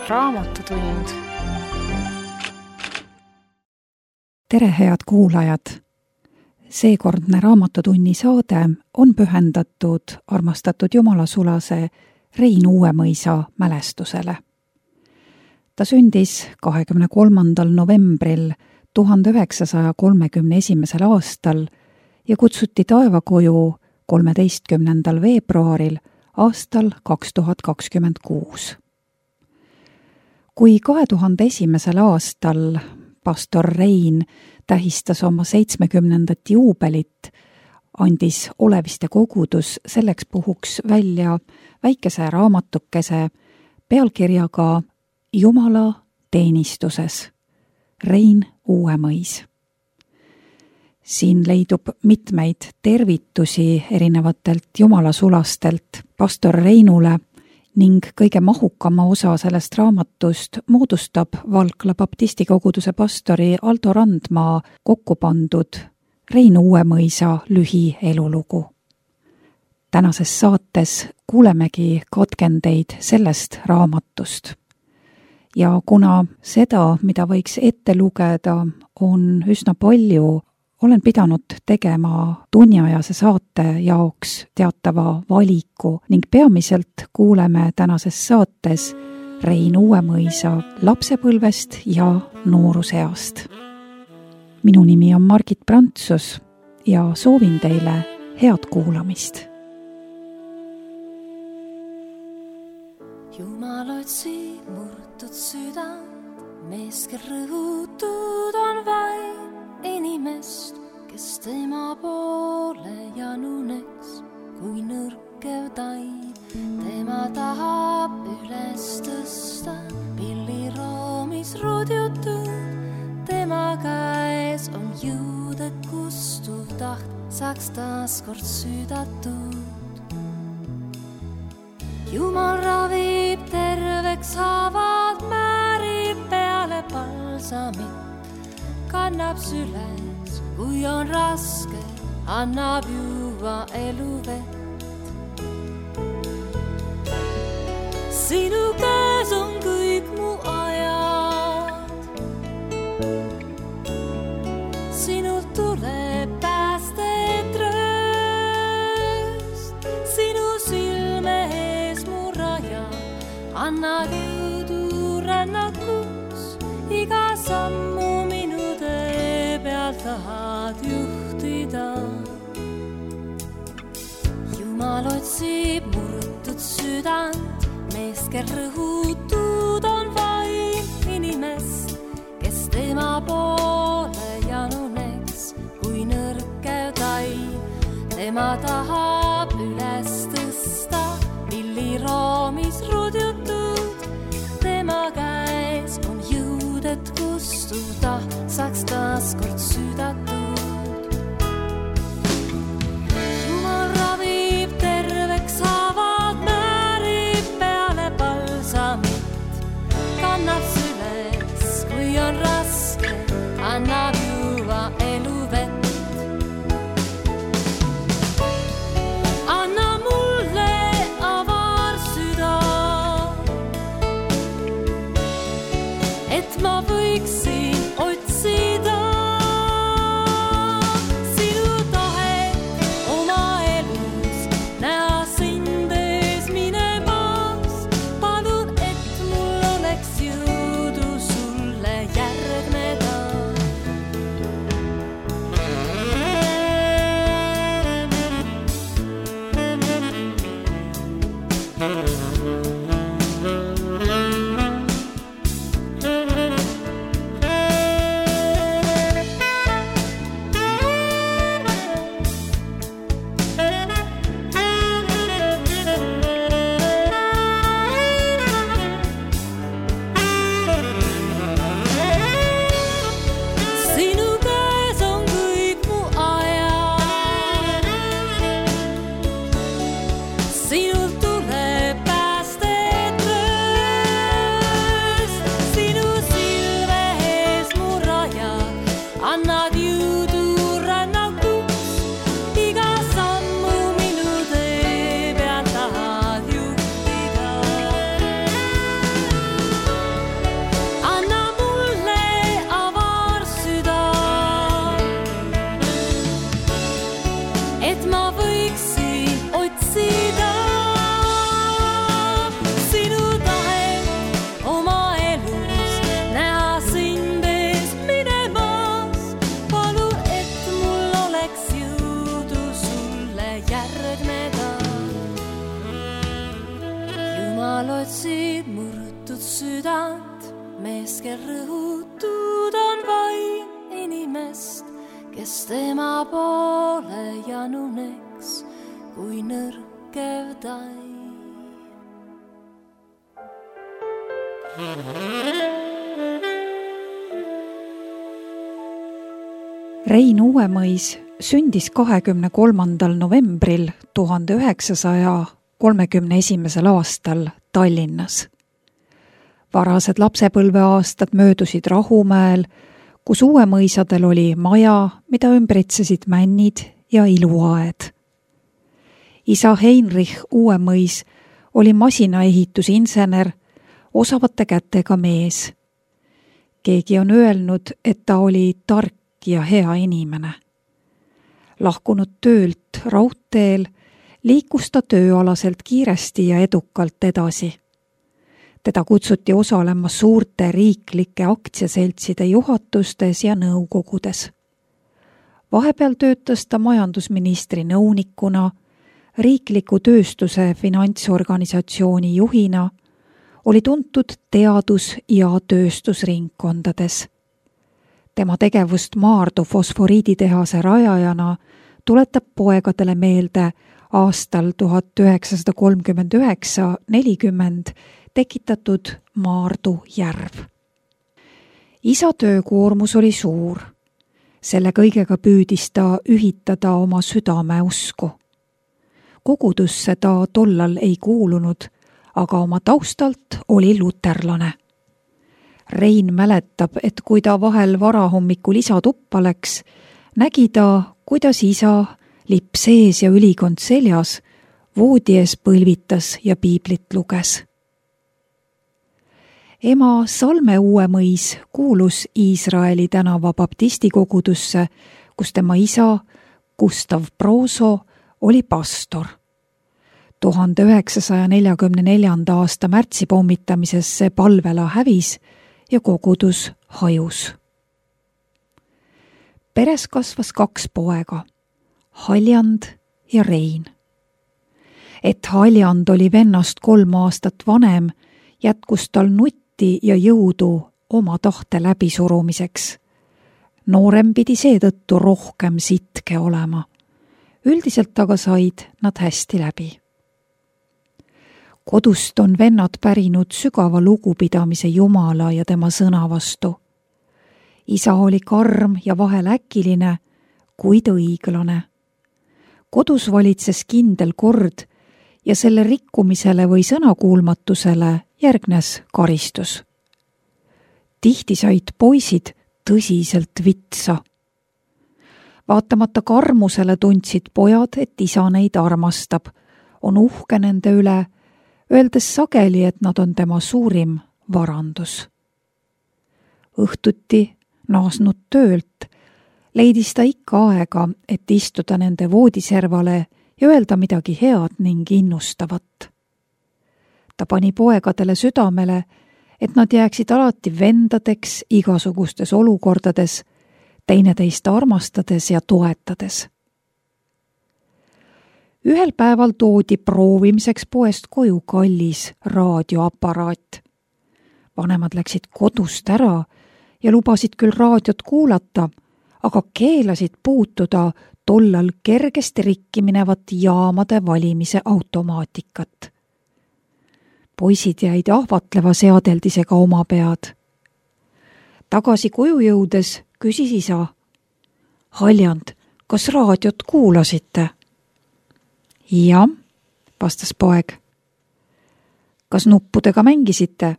Raamatutund. Tere, head kuulajad! Seekordne Raamatutunni saade on pühendatud armastatud jumalasulase Rein Uuemõisa mälestusele. Ta sündis 23. novembril 1931. aastal ja kutsuti taevakoju 13. veebruaril aastal 2026. Kui 2001. aastal pastor Rein tähistas oma 70. juubelit, andis Oleviste kogudus selleks puhuks välja väikese raamatukese pealkirjaga Jumala teenistuses, Rein Uuemõis. Siin leidub mitmeid tervitusi erinevatelt jumalasulastelt pastor Reinule ning kõige mahukama osa sellest raamatust moodustab Valkla baptisti koguduse pastori Aldo Randmaa kokku pandud Rein Uuemõisa lühielulugu. Tänases saates kuulemegi katkendeid sellest raamatust. Ja kuna seda, mida võiks ette lugeda, on üsna palju, olen pidanud tegema tunniajase saate jaoks teatava valiku ning peamiselt kuuleme tänases saates Rein Uuemõisa lapsepõlvest ja nooruseast. Minu nimi on Margit Prantsus ja soovin teile head kuulamist. Jumal otsib murtud südant, mees, kel rõhutud on vaid inimest, kes tema poole januneks, kui nõrkev taid. Tema tahab üles tõsta, pilliroomis rudjutud. Tema käes on jõud, et kustuv taht saaks taas kord südatud. Jumal ravib terveks haavad, määrib peale palsamit, kannab süles, kui on raske, annab juua eluvett. Sinu käes on kõik mu ajad, sinult tuleb päästet rööst, sinu silme ees mu raja, anna jõudu rännakuks, iga sammu minu tee peal tahad juhtida. Jumal otsib murtud südant, mees, kel rõhutud on vaid inimest, kes tema poole januneks, kui nõrkev taid. Tema tahab üles tõsta, pilliroomis rudjutud. Tema käes on jõud, et kustuda saaks taas kord südatud. Jumal ravib terveks haavad, määrib peale palsamit, kannab süles, kui on raske, annab juua eluvett. Anna mulle avar süda, et ma võiksin otsida sinu tahet oma elus, näha sind ees minemas. Palun, et mul oleks jõudu sulle järgneda. rõhutud on vaim inimest, kes tema poole januneks kui nõrkev tai. Rein Uuemõis sündis 23. novembril 1931. aastal Tallinnas. Varased lapsepõlveaastad möödusid Rahumäel, kus Uuemõisadel oli maja, mida ümbritsesid männid ja iluaed. Isa Heinrich Uuemõis oli masinaehitusinsener, osavate kätega mees. Keegi on öelnud, et ta oli tark ja hea inimene. Lahkunud töölt raudteel liikus ta tööalaselt kiiresti ja edukalt edasi. Teda kutsuti osalema suurte riiklike aktsiaseltside juhatustes ja nõukogudes. Vahepeal töötas ta majandusministri nõunikuna, riikliku tööstuse finantsorganisatsiooni juhina, oli tuntud teadus- ja tööstusringkondades. Tema tegevust Maardu fosforiiditehase rajajana tuletab poegadele meelde aastal 1939-40 tekitatud Maardu järv. Isa töökoormus oli suur. Selle kõigega püüdis ta ühitada oma südameusku. Kogudusse ta tollal ei kuulunud, aga oma taustalt oli luterlane. Rein mäletab, et kui ta vahel varahommikul isa tuppa läks, nägi ta, kuidas isa, lipp sees ja ülikond seljas, voodi ees põlvitas ja piiblit luges. Ema Salme Uuemõis kuulus Iisraeli tänava baptistikogudusse, kus tema isa, Gustav Broso, oli pastor. 1944. aasta märtsi pommitamises see palvela hävis ja kogudus hajus. Peres kasvas 2 poega, Haljand ja Rein. Et Haljand oli vennast 3 aastat vanem, jätkus tal nutti ja jõudu oma tahte läbisurumiseks. Noorem pidi seetõttu rohkem sitke olema. Üldiselt aga said nad hästi läbi. Kodust on vennad pärinud sügava lugupidamise Jumala ja tema sõna vastu. Isa oli karm ja vahel äkiline, kuid õiglane. Kodus valitses kindel kord ja selle rikkumisele või sõnakuulmatusele järgnes karistus. Tihti said poisid tõsiselt vitsa. Vaatamata karmusele tundsid pojad, et isa neid armastab, on uhke nende üle, öeldes sageli, et nad on tema suurim varandus. Õhtuti naasnud töölt leidis ta ikka aega, et istuda nende voodiservale ja öelda midagi head ning innustavat. Ta pani poegadele südamele, et nad jääksid alati vendadeks igasugustes olukordades, teineteist armastades ja toetades. Ühel päeval toodi proovimiseks poest koju kallis raadioaparaat. Vanemad läksid kodust ära ja lubasid küll raadiot kuulata, aga keelasid puutuda tollal kergesti rikki minevat jaamade valimise automaatikat. Poisid jäid ahvatleva seadeldisega oma pead. Tagasi koju jõudes küsis isa: Haljand, kas raadiot kuulasite? Jah, vastas poeg. Kas nuppudega mängisite?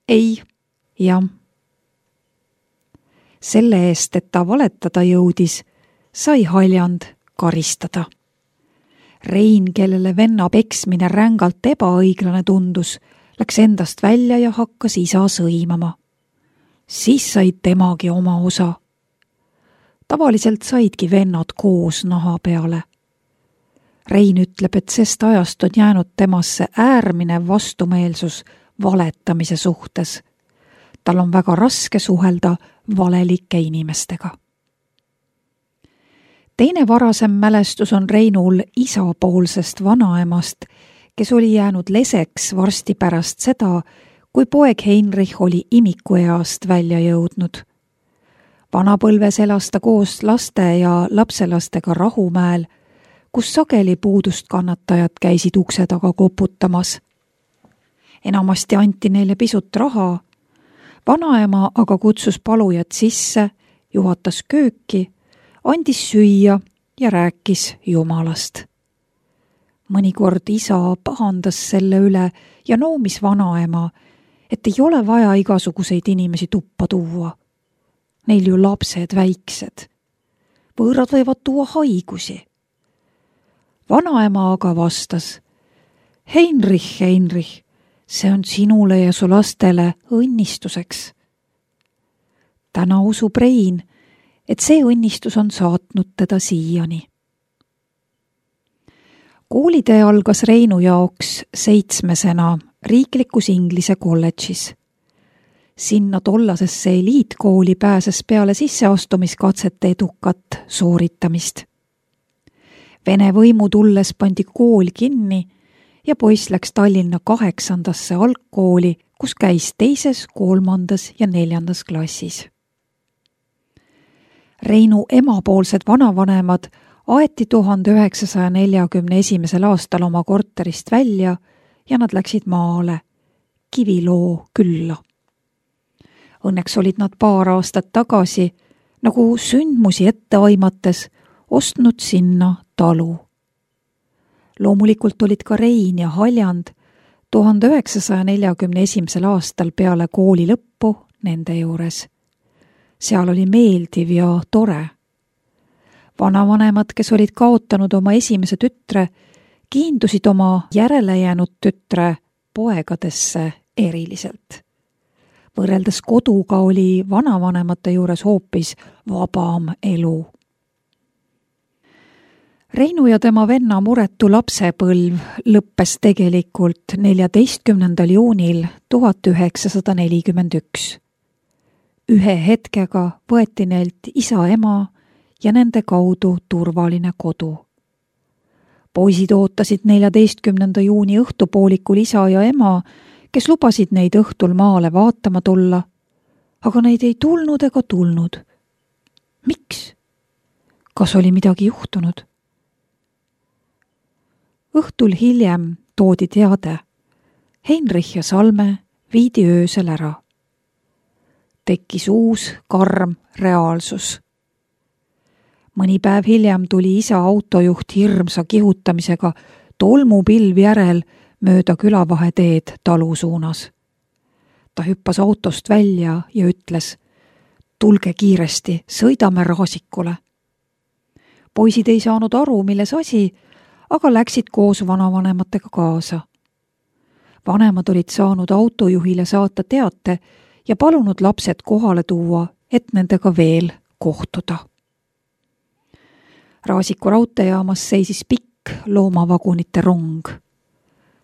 Ei, jah. Selle eest, et ta valetada jõudis, sai Haljand karistada. Rein, kellele venna peksmine rängalt ebaõiglane tundus, läks endast välja ja hakkas isa sõimama. Siis said temagi oma osa. Tavaliselt saidki vennad koos naha peale. Rein ütleb, et sest ajast on jäänud temasse äärmine vastumeelsus valetamise suhtes. Tal on väga raske suhelda valelike inimestega. Teine varasem mälestus on Reinul isapoolsest vanaemast, kes oli jäänud leseks varsti pärast seda, kui poeg Heinrich oli imikueast välja jõudnud. Vanapõlves elas ta koos laste ja lapselastega Rahumäel, kus sageli puudust kannatajad käisid ukse taga koputamas. Enamasti anti neile pisut raha, vanaema aga kutsus palujad sisse, juhatas kööki, andis süüa ja rääkis Jumalast. Mõnikord isa pahandas selle üle ja noomis vanaema, et ei ole vaja igasuguseid inimesi tuppa tuua. Neil ju lapsed väiksed. Võõrad võivad tuua haigusi. Vanaema aga vastas: Heinrich, Heinrich, see on sinule ja su lastele õnnistuseks. Täna usub Rein, et see õnnistus on saatnud teda siiani. Koolitee algas Reinu jaoks 7. riiklikus Inglise kolledžis. Sinna tollasesse eliitkooli pääses peale sisseastumiskatsete edukat sooritamist. Vene võimu tulles pandi kool kinni ja poiss läks Tallinna 8. algkooli, kus käis 2., 3. ja 4. klassis. Reinu emapoolsed vanavanemad aeti 1941. aastal oma korterist välja ja nad läksid maale, Kiviloo külla. Õnneks olid nad paar aastat tagasi, nagu sündmusi ette aimates, ostnud sinna talu. Loomulikult olid ka Rein ja Haljand 1941. aastal peale kooli lõppu nende juures. Seal oli meeldiv ja tore. Vanavanemad, kes olid kaotanud oma esimese tütre, kiindusid oma järele jäänud tütre poegadesse eriliselt. Võrreldes koduga oli vanavanemate juures hoopis vabam elu. Reinu ja tema venna muretu lapsepõlv lõppes tegelikult 14. juunil 1941. Ühe hetkega võeti neilt isa, ema ja nende kaudu turvaline kodu. Poisid ootasid 14. juuni õhtupoolikul isa ja ema, kes lubasid neid õhtul maale vaatama tulla, aga neid ei tulnud ega tulnud. Miks? Kas oli midagi juhtunud? Õhtul hiljem toodi teade. Heinrich ja Salme viidi öösel ära. Tekkis uus karm reaalsus. Mõni päev hiljem tuli isa autojuht hirmsa kihutamisega tolmupilv järel mööda külavaheteed talu suunas. Ta hüppas autost välja ja ütles: tulge kiiresti, sõidame Raasikule. Poisid ei saanud aru, milles asi, aga läksid koos vanavanematega kaasa. Vanemad olid saanud autojuhile saata teate ja palunud lapsed kohale tuua, et nendega veel kohtuda. Raasiku raudteejaamas seisis pikk loomavagunite rong.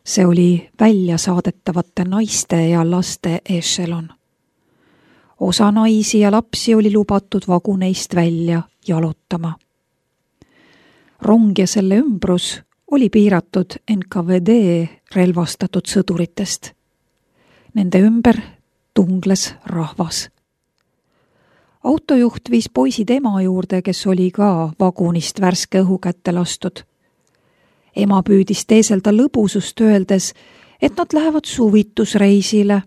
See oli välja saadetavate naiste ja laste ešelon. Osa naisi ja lapsi oli lubatud vaguneist välja jalutama. Rong ja selle ümbrus oli piiratud NKVD relvastatud sõduritest. Nende ümber tungles rahvas. Autojuht viis poisid ema juurde, kes oli ka vagunist värske õhu kätte lastud. Ema püüdis teeselda lõbusust öeldes, et nad lähevad suvitusreisile.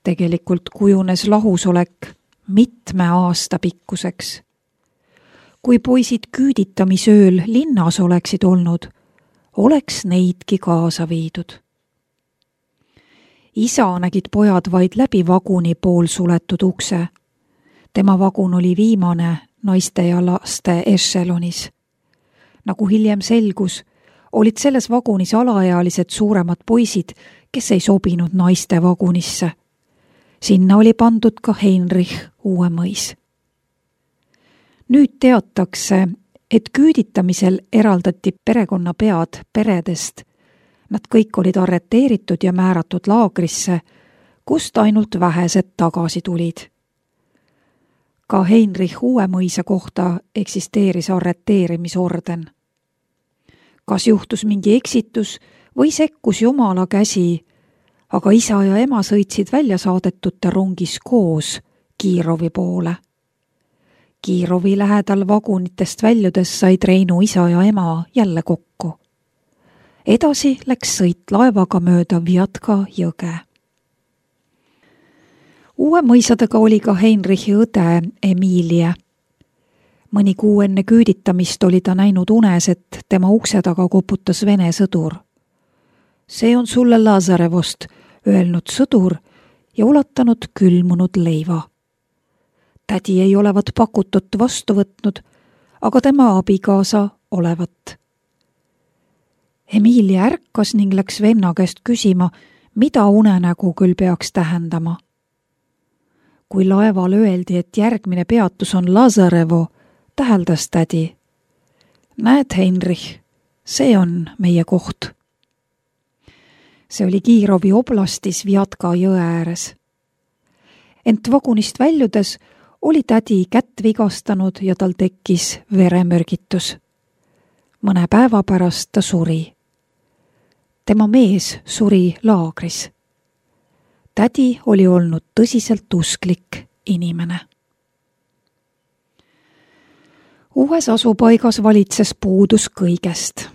Tegelikult kujunes lahusolek mitme aasta pikkuseks. Kui poisid küüditamisööl linnas oleksid olnud, oleks neidki kaasa viidud. Isa nägid pojad vaid läbi vaguni poolsuletud ukse. Tema vagun oli viimane naiste ja laste ešelonis. Nagu hiljem selgus, olid selles vagunis alaealised suuremad poisid, kes ei sobinud naiste vagunisse. Sinna oli pandud ka Heinrich Uuemõis. Nüüd teatakse, et küüditamisel eraldati perekonnapead peredest. Nad kõik olid arreteeritud ja määratud laagrisse, kust ainult vähesed tagasi tulid. Ka Heinrich Uuemõisa kohta eksisteeris arreteerimisorden. Kas juhtus mingi eksitus või sekkus Jumala käsi, aga isa ja ema sõitsid välja saadetute rongis koos Kiirovi poole. Kiirovi lähedal vagunitest väljudes said Reinu isa ja ema jälle kokku. Edasi läks sõit laevaga mööda Vjatka jõge. Uue mõisadega oli ka Heinrichi õde Emilie. Mõni kuu enne küüditamist oli ta näinud unes, et tema ukse taga koputas Vene sõdur. See on sulle Lazarevost, öelnud sõdur ja ulatanud külmunud leiva. Tädi ei olevat pakutut vastu võtnud, aga tema abikaasa olevat. Emilie ärkas ning läks venna käest küsima, mida unenägu küll peaks tähendama. Kui laeval öeldi, et järgmine peatus on Lazarevo, täheldas tädi. Näed, Heinrich, see on meie koht. See oli Kiirovi oblastis Vjatka jõe ääres. Ent vagunist väljudes oli tädi kätt vigastanud ja tal tekkis veremürgitus. Mõne päeva pärast ta suri. Tema mees suri laagris. Tädi oli olnud tõsiselt usklik inimene. Uues asupaigas valitses puudus kõigest.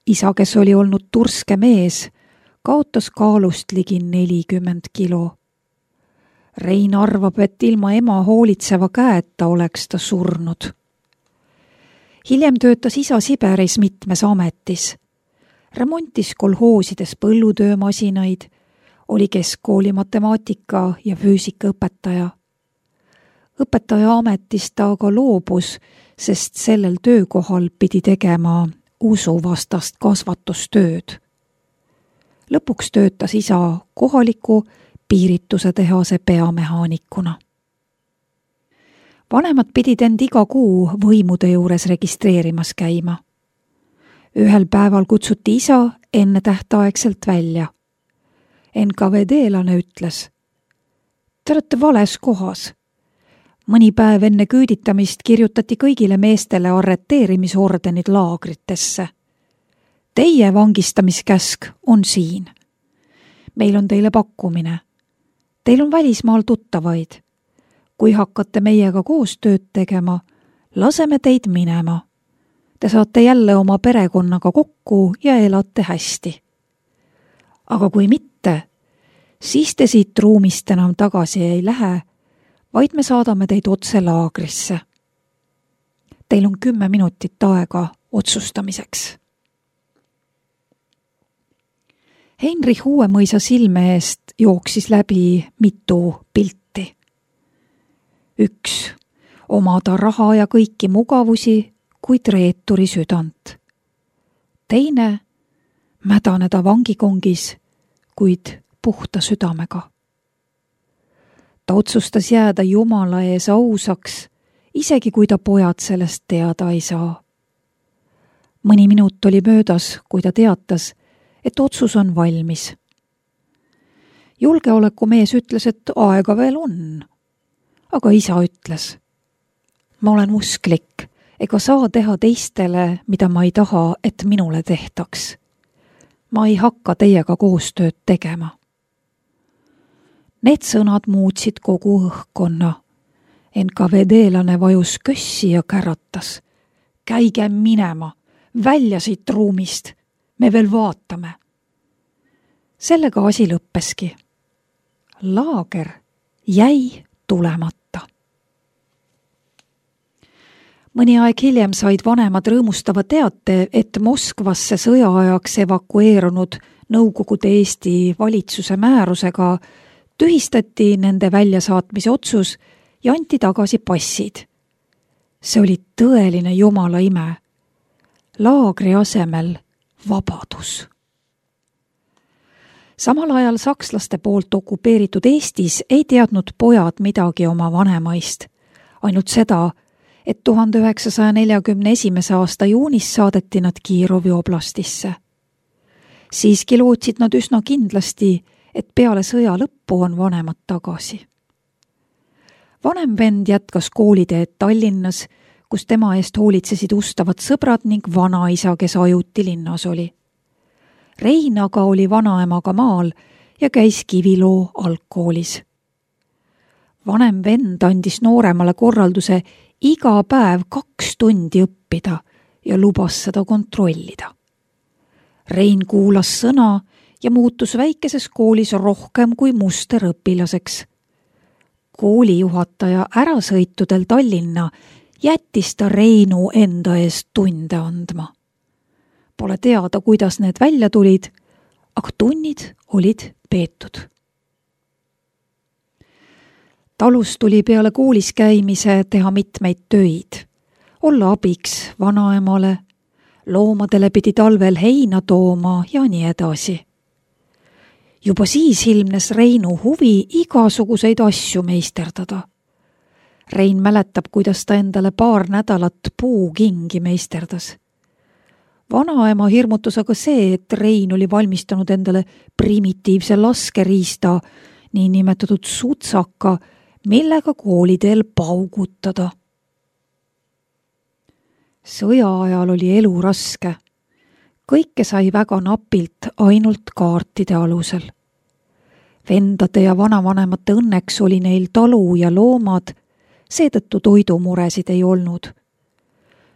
Isa, kes oli olnud turske mees, kaotas kaalust ligi 40 kilo. Rein arvab, et ilma ema hoolitseva käeta oleks ta surnud. Hiljem töötas isa Siberis mitmes ametis. Remontis kolhoosides põllutöömasinaid, oli keskkooli matemaatika ja füüsika õpetaja. Õpetaja ametist ta aga loobus, sest sellel töökohal pidi tegema usuvastast kasvatustööd. Lõpuks töötas isa kohaliku piirituse tehase peamehaanikuna. Vanemad pidid end iga kuu võimude juures registreerimas käima. Ühel päeval kutsuti isa ennetähtaegselt välja. NKVD-lane ütles, te olete vales kohas. Mõni päev enne küüditamist kirjutati kõigile meestele arreteerimisordenid laagritesse. Teie vangistamiskäsk on siin. Meil on teile pakkumine. Teil on välismaal tuttavaid. Kui hakkate meiega koostööd tegema, laseme teid minema. Te saate jälle oma perekonnaga kokku ja elate hästi. Aga kui mitte, siis te siit ruumist enam tagasi ei lähe, vaid me saadame teid otse laagrisse. Teil on 10 minutit aega otsustamiseks. Heinrich Uuemõisa silme eest jooksis läbi mitu pilti. 1. Omada raha ja kõiki mugavusi, kuid reeturi südant. 2. Mädaneda vangikongis, kuid puhta südamega. Ta otsustas jääda Jumala ees ausaks, isegi kui ta pojad sellest teada ei saa. Mõni minut oli möödas, kui ta teatas, et otsus on valmis. Julgeolekumees ütles, et aega veel on. Aga isa ütles, ma olen usklik, ega saa teha teistele, mida ma ei taha, et minule tehtaks. Ma ei hakka teiega koostööd tegema. Need sõnad muutsid kogu õhkkonna. NKVD-lane vajus kössi ja käratas. Käige minema, välja siit ruumist. Me veel vaatame. Sellega asi lõppeski. Laager jäi tulemata. Mõni aeg hiljem said vanemad rõõmustava teate, et Moskvasse sõjaajaks evakueerunud Nõukogude Eesti valitsuse määrusega tühistati nende väljasaatmise otsus ja anti tagasi passid. See oli tõeline Jumala ime. Laagri asemel vabadus. Samal ajal sakslaste poolt okupeeritud Eestis ei teadnud pojad midagi oma vanemaist, ainult seda, et 1941. aasta juunis saadeti nad Kiirovi oblastisse. Siiski lootsid nad üsna kindlasti, et peale sõja lõppu on vanemad tagasi. Vanem vend jätkas kooliteed Tallinnas, kus tema eest hoolitsesid ustavad sõbrad ning vanaisa, kes ajuti linnas oli. Rein aga oli vanaemaga maal ja käis Kiviloo algkoolis. Vanem vend andis nooremale korralduse iga päev 2 tundi õppida ja lubas seda kontrollida. Rein kuulas sõna ja muutus väikeses koolis rohkem kui musterõpilaseks. Koolijuhataja ärasõitudel Tallinna jättis ta Reinu enda eest tunde andma. Pole teada, kuidas need välja tulid, aga tunnid olid peetud. Talus tuli peale koolis käimise teha mitmeid töid, olla abiks vanaemale, loomadele pidi talvel heina tooma ja nii edasi. Juba siis ilmnes Reinu huvi igasuguseid asju meisterdada. Rein mäletab, kuidas ta endale 2 nädalat puukingi meisterdas. Vanaema hirmutas aga see, et Rein oli valmistanud endale primitiivse laskeriista, niinimetatud sutsaka, millega kooliteel paugutada. Sõja ajal oli elu raske. Kõike sai väga napilt ainult kaartide alusel. Vendade ja vanavanemate õnneks oli neil talu ja loomad, seetõttu toidumuresid ei olnud.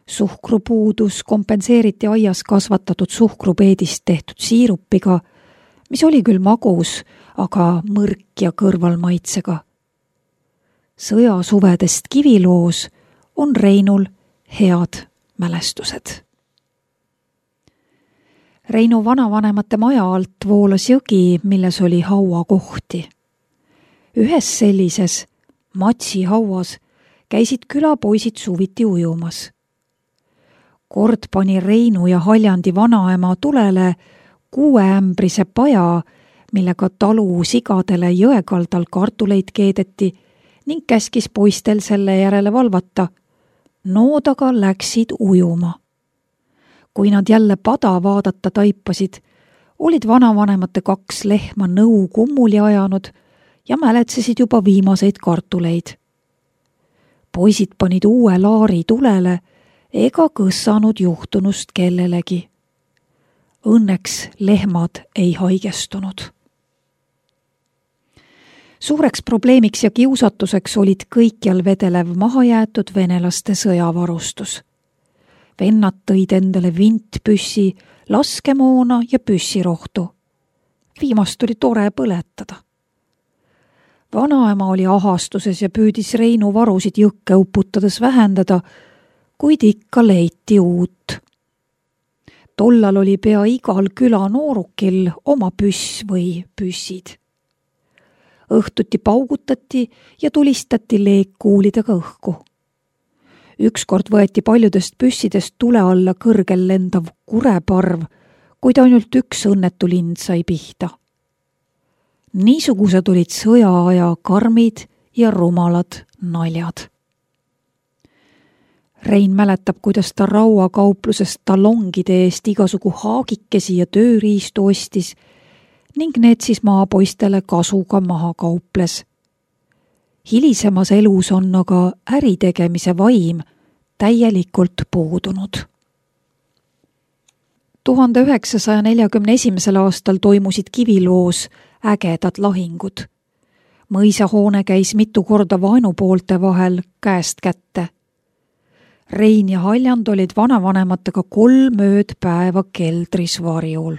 Suhkrupuudus kompenseeriti aias kasvatatud suhkrupeedist tehtud siirupiga, mis oli küll magus, aga mõrk ja kõrvalmaitsega. Sõjasuvedest Kiviloos on Reinul head mälestused. Reinu vanavanemate maja alt voolas jõgi, milles oli hauakohti. Ühes sellises, Matsi hauas, käisid külapoisid suviti ujumas. Kord pani Reinu ja Haljandi vanaema tulele 6-ämbrise paja, millega talu sigadele jõekaldal kartuleid keedeti ning käskis poistel selle järele valvata. Nood aga läksid ujuma. Kui nad jälle pada vaadata taipasid, olid vanavanemate 2 lehma nõu kummuli ajanud ja mäletsesid juba viimaseid kartuleid. Poisid panid uue laari tulele ega kõssanud juhtunust kellelegi. Õnneks lehmad ei haigestunud. Suureks probleemiks ja kiusatuseks olid kõikjal vedelev mahajäetud venelaste sõjavarustus. Vennad tõid endale vintpüssi, laskemoona ja püssirohtu. Viimast oli tore põletada. Vanaema oli ahastuses ja püüdis Reinu varusid jõkke uputades vähendada, kuid ikka leiti uut. Tollal oli pea igal küla noorukil oma püss või püssid. Õhtuti paugutati ja tulistati leekkuulidega õhku. Ükskord võeti paljudest püssidest tule alla kõrgel lendav kureparv, kuid ainult üks õnnetu lind sai pihta. Niisugused olid sõjaaja karmid ja rumalad naljad. Rein mäletab, kuidas ta rauakauplusest talongide eest igasugu haagikesi ja tööriistu ostis ning need siis maapoistele kasuga maha kauples. Hilisemas elus on aga äritegemise vaim täielikult puudunud. 1941. aastal toimusid Kiviloos ägedad lahingud. Mõisahoone käis mitu korda vaenupoolte vahel käest kätte. Rein ja Haljand olid vanavanematega 3 ööd päeva keldris varjul.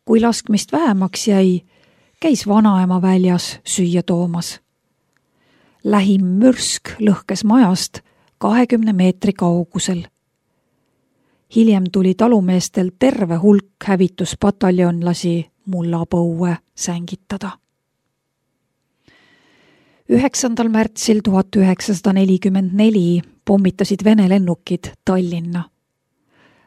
Kui laskmist vähemaks jäi, käis vanaema väljas süüa toomas. Lähim mürsk lõhkes majast 20 meetri kaugusel. Hiljem tuli talumeestel terve hulk hävituspataljonlasi mullapõue sängitada. 9. märtsil 1944 pommitasid Vene lennukid Tallinna.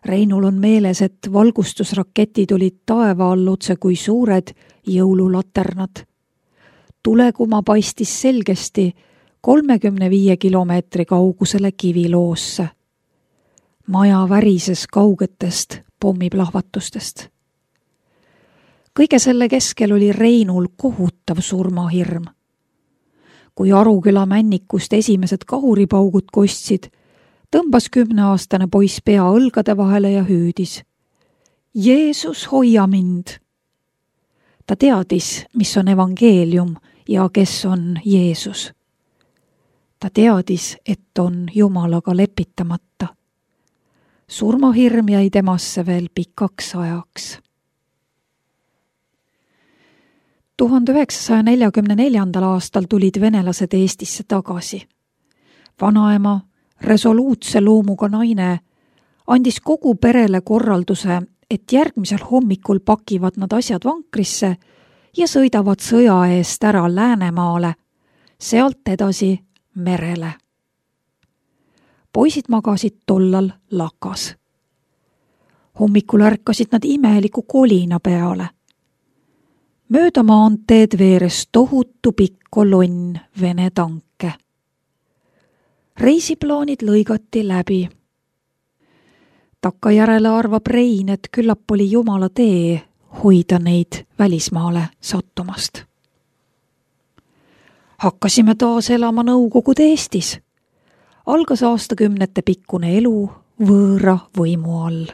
Reinul on meeles, et valgustusraketid olid taeva all otse kui suured jõululaternad. Tulekuma paistis selgesti 35 kilomeetri kaugusele Kiviloosse. Maja värises kaugetest pommiplahvatustest. Kõige selle keskel oli Reinul kohutav surmahirm. Kui Aruküla männikust esimesed kahuripaugud kostsid, tõmbas 10-aastane poiss pea õlgade vahele ja hüüdis: Jeesus, hoia mind! Ta teadis, mis on evangeelium ja kes on Jeesus. Ta teadis, et on Jumalaga lepitamata. Surmahirm jäi temasse veel pikaks ajaks. 1944. aastal tulid venelased Eestisse tagasi. Vanaema, resoluutse loomuga naine, andis kogu perele korralduse, et järgmisel hommikul pakivad nad asjad vankrisse ja sõidavad sõja eest ära Läänemaale, sealt edasi merele. Poisid magasid tollal lakas. Hommikul ärkasid nad imeliku kolina peale. Mööda maanteed veeres tohutu pikk kolonn Vene tanke. Reisiplaanid lõigati läbi. Takkajärele arvab Rein, et küllap oli Jumala tee hoida neid välismaale sattumast. Hakkasime taas elama Nõukogude Eestis. Algas aastakümnete pikkune elu võõra võimu all.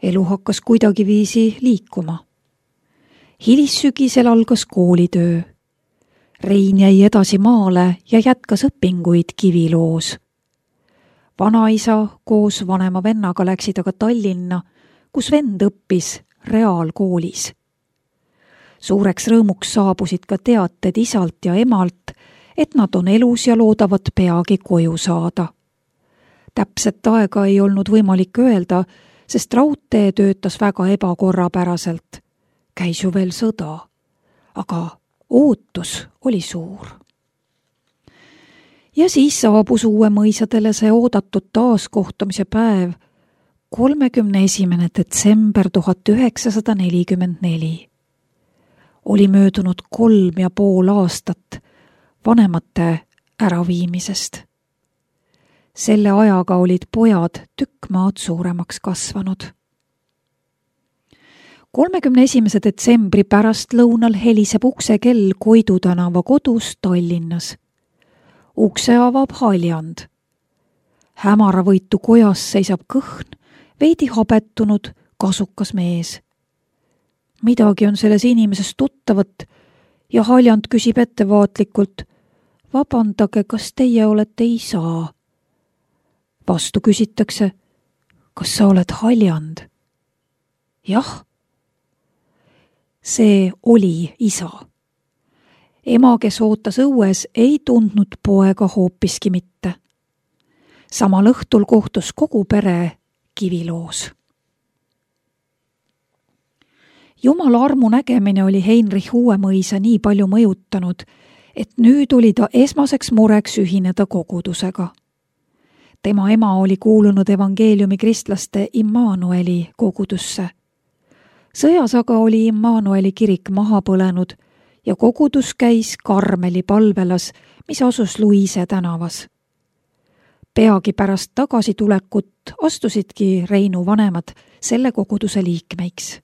Elu hakkas kuidagiviisi liikuma. Hilissügisel algas koolitöö. Rein jäi edasi maale ja jätkas õpinguid Kiviloos. Vanaisa koos vanema vennaga läksid aga Tallinna, kus vend õppis reaalkoolis. Suureks rõõmuks saabusid ka teated isalt ja emalt, et nad on elus ja loodavad peagi koju saada. Täpset aega ei olnud võimalik öelda, sest raudtee töötas väga ebakorrapäraselt. Käis ju veel sõda, aga ootus oli suur. Ja siis saabus Uuemõisadele see oodatud taaskohtumise päev, 31. detsember 1944. Oli möödunud 3,5 aastat vanemate äraviimisest. Selle ajaga olid pojad tükk maad suuremaks kasvanud. 31. detsembri pärastlõunal heliseb uksekell Koidu tänava kodus Tallinnas. Ukse avab haljand. Hämaravõitu kojas seisab kõhn, veidi habettunud, kasukas mees. Midagi on selles inimeses tuttavat ja haljand küsib ettevaatlikult: vabandage, kas teie olete isa? Vastu küsitakse: kas sa oled haljand? Jah. See oli isa. Ema, kes ootas õues, ei tundnud poega hoopiski mitte. Samal õhtul kohtus kogu pere Kiviloos. Jumala armu nägemine oli Heinrich Uuemõisa nii palju mõjutanud, et nüüd oli ta esmaseks mureks ühineda kogudusega. Tema ema oli kuulunud evangeeliumi kristlaste Immanueli kogudusse. Sõjas aga oli Immanueli kirik maha põlenud ja kogudus käis Karmeli palvelas, mis asus Luise tänavas. Peagi pärast tagasitulekut astusidki Reinu vanemad selle koguduse liikmeiks.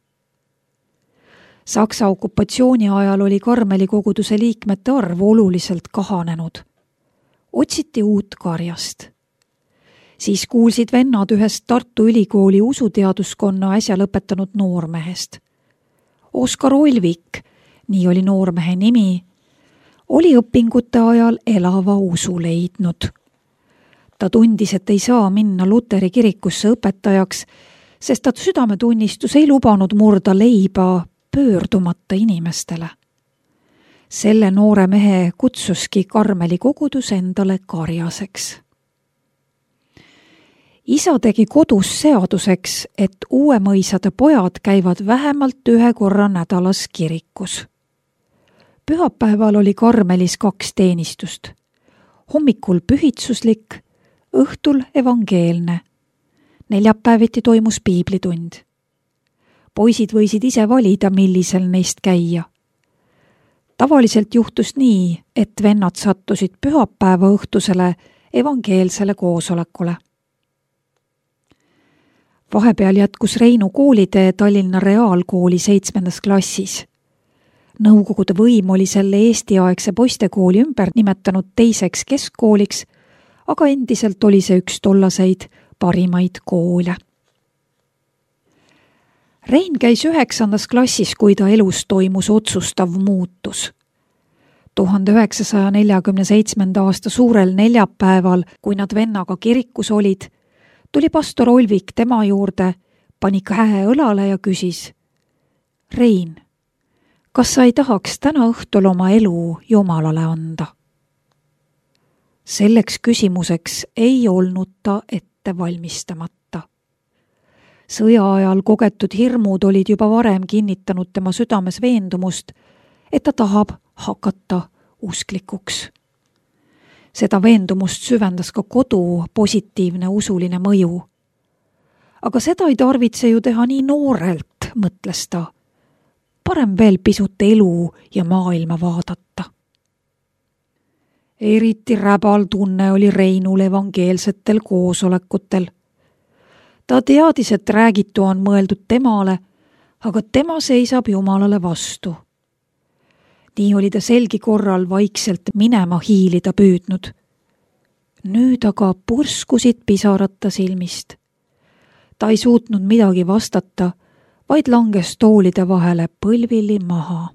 Saksa okupatsiooni ajal oli Karmeli koguduse liikmete arv oluliselt kahanenud. Otsiti uut karjast. Siis kuulsid vennad ühest Tartu Ülikooli usuteaduskonna äsja lõpetanud noormehest. Oskar Olvik, nii oli noormehe nimi, oli õpingute ajal elava usu leidnud. Ta tundis, et ei saa minna Luteri kirikusse õpetajaks, sest ta südametunnistus ei lubanud murda leiba pöördumata inimestele. Selle noore mehe kutsuski Karmeli kogudus endale karjaseks. Isa tegi kodus seaduseks, et Uuemõisade pojad käivad vähemalt 1 korra nädalas kirikus. Pühapäeval oli Karmelis 2 teenistust. Hommikul pühitsuslik, õhtul evangeelne. Neljapäeviti toimus piiblitund. Poisid võisid ise valida, millisel neist käia. Tavaliselt juhtus nii, et vennad sattusid pühapäeva õhtusele evangeelsele koosolekule. Vahepeal jätkus Reinu koolitee Tallinna Reaalkooli 7. klassis. Nõukogude võim oli selle eestiaegse poistekooli ümber nimetanud teiseks keskkooliks, aga endiselt oli see üks tollaseid parimaid koole. Rein käis 9. klassis, kui ta elus toimus otsustav muutus. 1947. aasta suurel neljapäeval, kui nad vennaga kirikus olid, tuli pastor Olvik tema juurde, pani käe õlale ja küsis: Rein, kas sa ei tahaks täna õhtul oma elu Jumalale anda? Selleks küsimuseks ei olnud ta ette valmistamata. Sõja ajal kogetud hirmud olid juba varem kinnitanud tema südames veendumust, et ta tahab hakata usklikuks. Seda veendumust süvendas ka kodu positiivne usuline mõju. Aga seda ei tarvitse ju teha nii noorelt, mõtles ta. Parem veel pisut elu ja maailma vaadata. Eriti räbal tunne oli Reinul evangeelsetel koosolekutel. Ta teadis, et räägitu on mõeldud temale, aga tema seisab Jumalale vastu. Nii oli ta selgi korral vaikselt minema hiilida püüdnud. Nüüd aga purskusid pisarad ta silmist. Ta ei suutnud midagi vastata, vaid langes toolide vahele põlvili maha.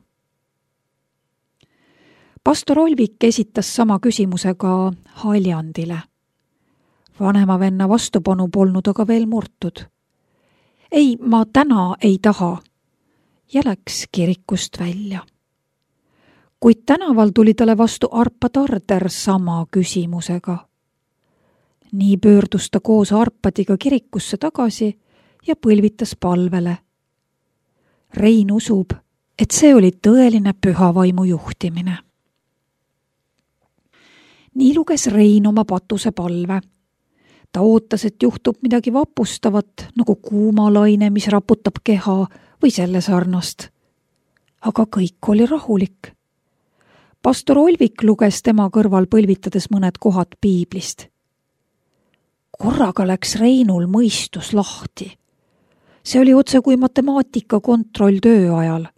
Pastor Olvik esitas sama küsimuse ka Haljandile. Vanema venna vastupanu polnud aga veel murtud. Ei, ma täna ei taha. Ja läks kirikust välja. Kuid tänaval tuli talle vastu Arpa Tarder sama küsimusega. Nii pöördus ta koos Arpadiga kirikusse tagasi ja põlvitas palvele. Rein usub, et see oli tõeline püha vaimu juhtimine. Nii luges Rein oma patuse palve. Ta ootas, et juhtub midagi vapustavat, nagu kuumalaine, mis raputab keha või selle sarnast. Aga kõik oli rahulik. Pastor Olvik luges tema kõrval põlvitades mõned kohad piiblist. Korraga läks Reinul mõistus lahti. See oli otse kui matemaatika kontroll töö ajal.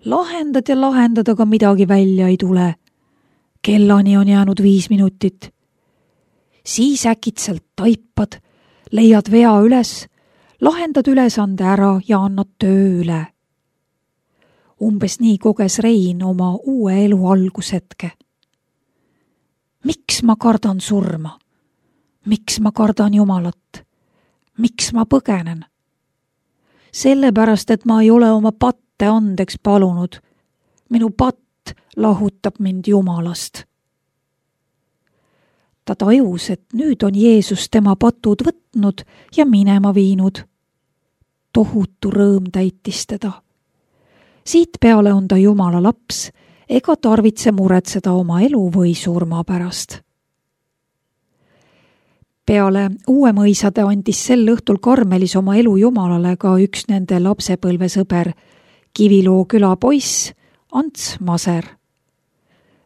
Lahendad ja lahendad, aga midagi välja ei tule. Kellani on jäänud 5 minutit. Siis äkitselt taipad, leiad vea üles, lahendad ülesande ära ja annad töö üle. Umbes nii koges Rein oma uue elu algushetke. Miks ma kardan surma? Miks ma kardan Jumalat? Miks ma põgenen? Sellepärast, et ma ei ole oma patte andeks palunud. Minu patt lahutab mind Jumalast. Ta tajus, et nüüd on Jeesus tema patud võtnud ja minema viinud. Tohutu rõõm täitis teda. Siit peale on ta Jumala laps, ega tarvitse muretseda oma elu või surma pärast. Peale Uuemõisade andis sel õhtul Karmelis oma elu Jumalale ka üks nende lapsepõlvesõber, Kiviloo küla poiss Ants Maser.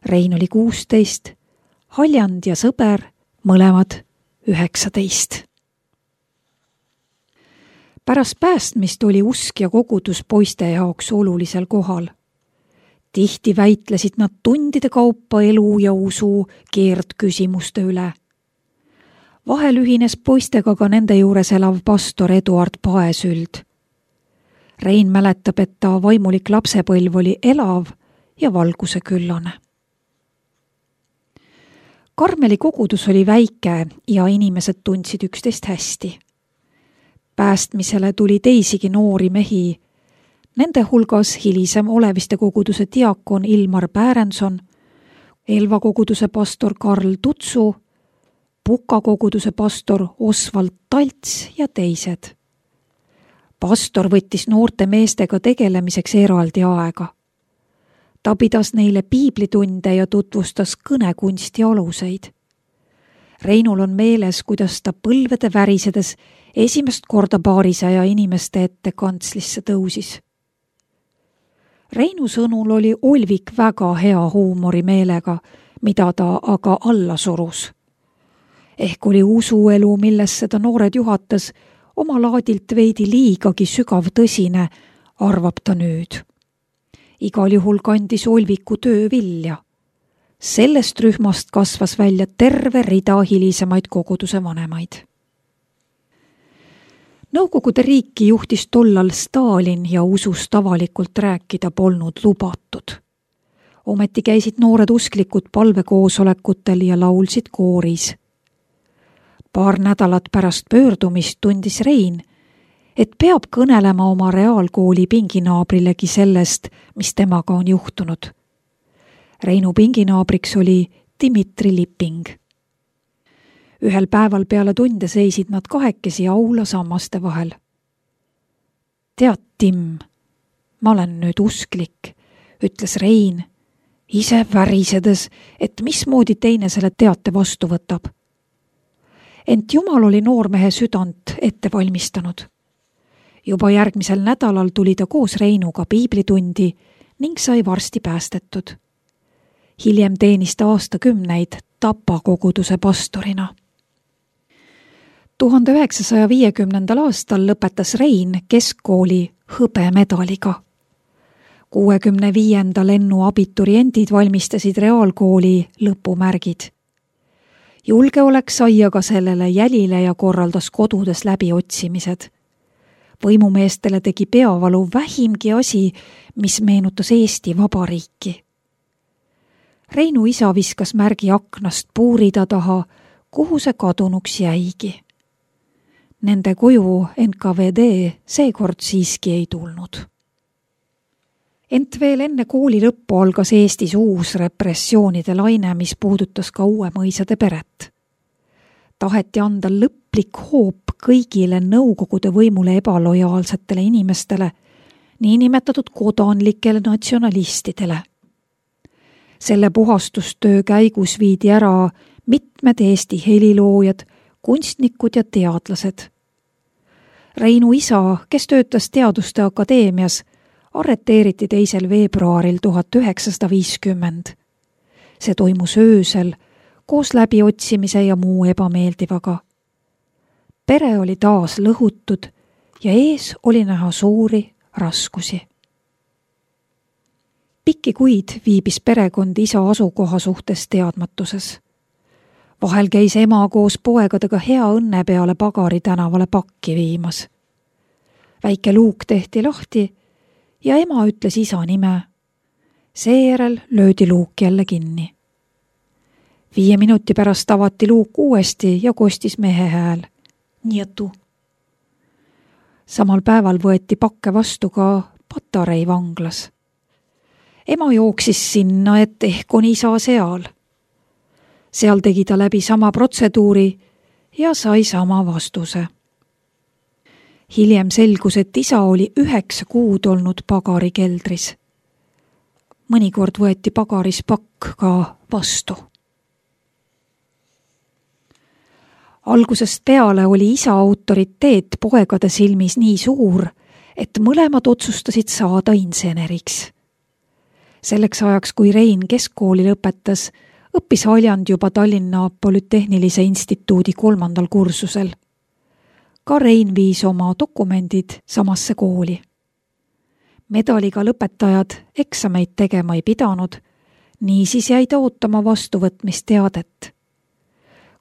Rein oli 16, Haljand ja sõber mõlemad 19. Pärast päästmist oli usk ja kogudus poiste jaoks olulisel kohal. Tihti väitlesid nad tundide kaupa elu ja usu keerdküsimuste üle. Vahel ühines poistega ka nende juures elav pastor Eduard Paesüld. Rein mäletab, et ta vaimulik lapsepõlv oli elav ja valguse küllane. Karmeli kogudus oli väike ja inimesed tundsid üksteist hästi. Päästmisele tuli teisigi noori mehi, nende hulgas hilisem Oleviste koguduse diakon Ilmar Pärenson, Elva koguduse pastor Karl Tutsu, Puka koguduse pastor Osvald Talts ja teised. Pastor võttis noorte meestega tegelemiseks eraldi aega. Ta pidas neile piiblitunde ja tutvustas kõnekunsti aluseid. Reinul on meeles, kuidas ta põlvede värisedes esimest korda 200 inimeste ette kantslisse tõusis. Reinu sõnul oli Olvik väga hea huumorimeelega, mida ta aga alla surus. Ehk oli usuelu, millesse ta noored juhatas, oma laadilt veidi liigagi sügav tõsine, arvab ta nüüd. Igal juhul kandis Olviku töö vilja. Sellest rühmast kasvas välja terve rida hilisemaid koguduse vanemaid. Nõukogude riiki juhtis tollal Stalin ja usust avalikult rääkida polnud lubatud. Ometi käisid noored usklikud palvekoosolekutel ja laulsid kooris. Paar nädalat pärast pöördumist tundis Rein, et peab kõnelema oma reaalkooli pinginaabrilegi sellest, mis temaga on juhtunud. Reinu pinginaabriks oli Dmitri Lipping. Ühel päeval peale tunde seisid nad kahekesi aula sammaste vahel. Tead, Tim, ma olen nüüd usklik, ütles Rein, ise värisedes, et mismoodi teine selle teate vastu võtab. Ent Jumal oli noormehe südant ette valmistanud. Juba järgmisel nädalal tuli ta koos Reinuga piiblitundi ning sai varsti päästetud. Hiljem teenis ta aastakümneid Tapa koguduse pastorina. 1950. aastal lõpetas Rein keskkooli hõbemedaliga. 65. lennu abituriendid valmistasid reaalkooli lõpumärgid. Julgeolek sai aga sellele jälile ja korraldas kodudes läbiotsimised. Võimumeestele tegi peavalu vähimgi asi, mis meenutas Eesti Vabariiki. Reinu isa viskas märgi aknast puurida taha, kuhu see kadunuks jäigi. Nende koju NKVD seekord siiski ei tulnud. Ent veel enne kooli lõppu algas Eestis uus repressioonide laine, mis puudutas ka Uuemõisade peret. Taheti anda lõplik hoop kõigile Nõukogude võimule ebalojaalsetele inimestele, niinimetatud kodanlikele natsionalistidele. Selle puhastustöö käigus viidi ära mitmed Eesti heliloojad, kunstnikud ja teadlased. Reinu isa, kes töötas Teaduste Akadeemias, arreteeriti 2. veebruaril 1950. See toimus öösel koos läbiotsimise ja muu ebameeldivaga. Pere oli taas lõhutud ja ees oli näha suuri raskusi. Pikki kuid viibis perekond isa asukoha suhtes teadmatuses. Vahel käis ema koos poegadega hea õnne peale Pagari tänavale pakki viimas. Väike luuk tehti lahti ja ema ütles isa nime. Seejärel löödi luuk jälle kinni. 5 minuti pärast avati luuk uuesti ja kostis mehe hääl. Nietu. Samal päeval võeti pakke vastu ka Patarei vanglas. Ema jooksis sinna, et ehk on isa seal. Seal tegi ta läbi sama protseduuri ja sai sama vastuse. Hiljem selgus, et isa oli 9 kuud olnud Pagari keldris. Mõnikord võeti Pagaris pakk ka vastu. Algusest peale oli isa autoriteet poegade silmis nii suur, et mõlemad otsustasid saada inseneriks. Selleks ajaks, kui Rein keskkooli lõpetas, õppis Haljand juba Tallinna Polütehnilise instituudi 3. kursusel. Ka Rein viis oma dokumendid samasse kooli. Medaliga lõpetajad eksameid tegema ei pidanud, niisiis jäi ta ootama vastuvõtmisteadet.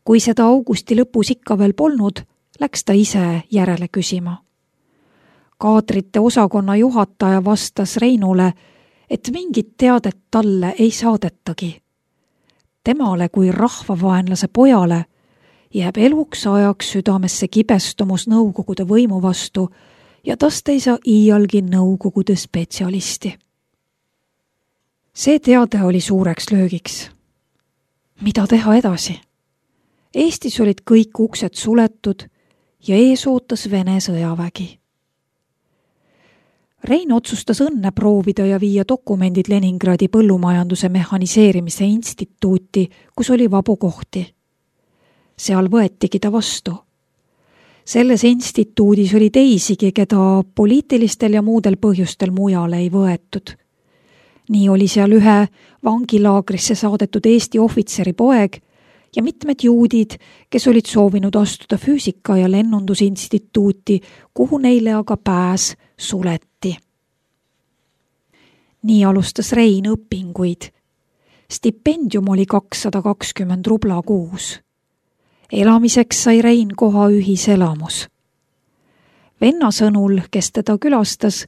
Kui seda augusti lõpus ikka veel polnud, läks ta ise järele küsima. Kaadrite osakonna juhataja vastas Reinule, et mingit teadet talle ei saadetagi. Temale kui rahvavaenlase pojale jääb eluks ajaks südamesse kibestumus Nõukogude võimu vastu ja tast ei saa iialgi Nõukogude spetsialisti. See teade oli suureks löögiks. Mida teha edasi? Eestis olid kõik uksed suletud ja ees ootas Vene sõjavägi. Rein otsustas õnne proovida ja viia dokumendid Leningradi põllumajanduse mehhaniseerimise instituuti, kus oli vabu kohti. Seal võetigi ta vastu. Selles instituudis oli teisigi, keda poliitilistel ja muudel põhjustel mujale ei võetud. Nii oli seal ühe vangilaagrisse saadetud Eesti ohvitseri poeg ja mitmed juudid, kes olid soovinud astuda füüsika- ja lennundusinstituuti, kuhu neile aga pääs suleti. Nii alustas Rein õpinguid. Stipendium oli 220 rubla kuus. Elamiseks sai Rein koha ühiselamus. Venna sõnul, kes teda külastas,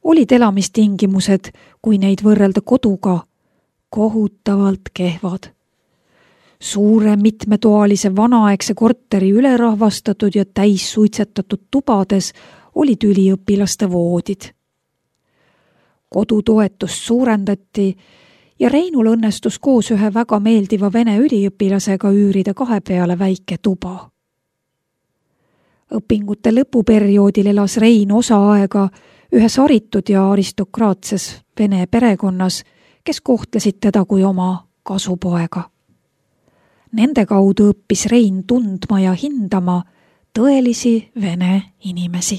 olid elamistingimused, kui neid võrrelda koduga, kohutavalt kehvad. Suure mitmetoalise vanaaegse korteri ülerahvastatud ja täis suitsetatud tubades olid üliõpilaste voodid. Kodutoetust suurendati ja Reinul õnnestus koos ühe väga meeldiva vene üliõpilasega üürida 2 peale väike tuba. Õpingute lõpuperioodil elas Rein osa aega ühes haritud ja aristokraatses vene perekonnas, kes kohtlesid teda kui oma kasupoega. Nende kaudu õppis Rein tundma ja hindama tõelisi vene inimesi.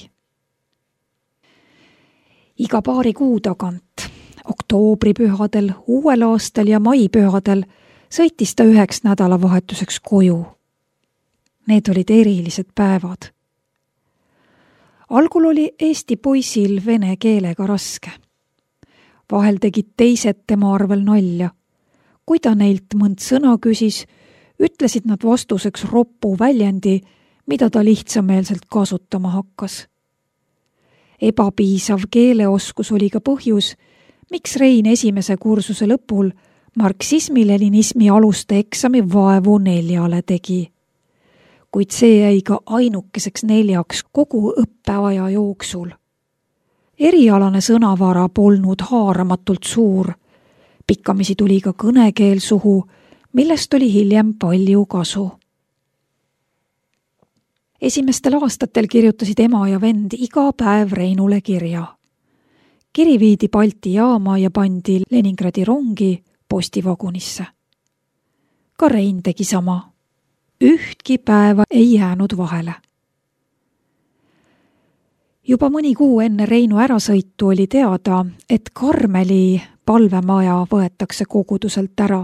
Iga paari kuu tagant, oktoobripühadel, uuel aastal ja maipühadel sõitis ta 1 nädalavahetuseks koju. Need olid erilised päevad. Algul oli eesti poisil vene keelega raske. Vahel tegid teised tema arvel nalja. Kui ta neilt mõnd sõna küsis, ütlesid nad vastuseks roppu väljendi, mida ta lihtsameelselt kasutama hakkas. Ebapiisav keeleoskus oli ka põhjus, miks Rein esimese kursuse lõpul marksismi-leninismi aluste eksami vaevu 4 tegi. Kuid see jäi ka ainukeseks 4 kogu õppeaja jooksul. Erialane sõnavara polnud haaramatult suur. Pikkamisi tuli ka kõnekeel suhu, millest oli hiljem palju kasu. Esimestel aastatel kirjutasid ema ja vend iga päev Reinule kirja. Kiri viidi Balti jaama ja pandi Leningradi rongi postivagunisse. Ka Rein tegi sama. Ühtki päeva ei jäänud vahele. Juba mõni kuu enne Reinu ärasõitu oli teada, et Karmeli palvemaja võetakse koguduselt ära.